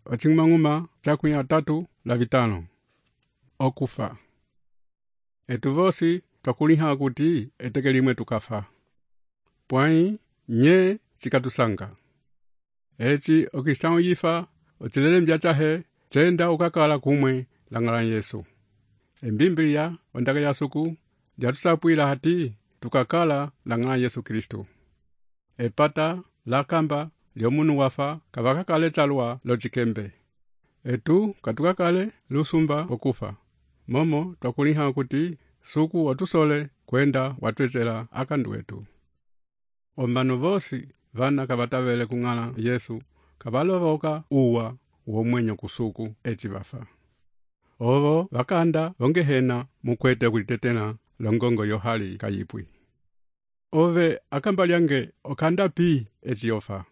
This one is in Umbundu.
ocimang'uma cakwi atatu la vitano. Okufa. Etu vosi twakuliha kuti eteke limwe tukafa. Pwai nye chikatusanga. Eci okistão yifa ocilele mbyachahe chenda ukakala kumwe langala Yesu. Embimbilia ondaka ya suku jatusapwila hati tukakala langala Yesu Kristo. Epata la kamba lyomunu wafa kavakakale chalwa lochikembe. Etu katukakale lusumba okufa. Momo twakuliha kuti suku otusole kwenda watwechela akandu wetu. Ombanu vosi vana kavatavele kung'ala Yesu kavalovoka uwa uomwenyo kusuku eci vafa. Ovo vakanda ongehena mukwete kulitetena longongo yohali kayipwi. Ove akamba lyange okanda pi eci yofa.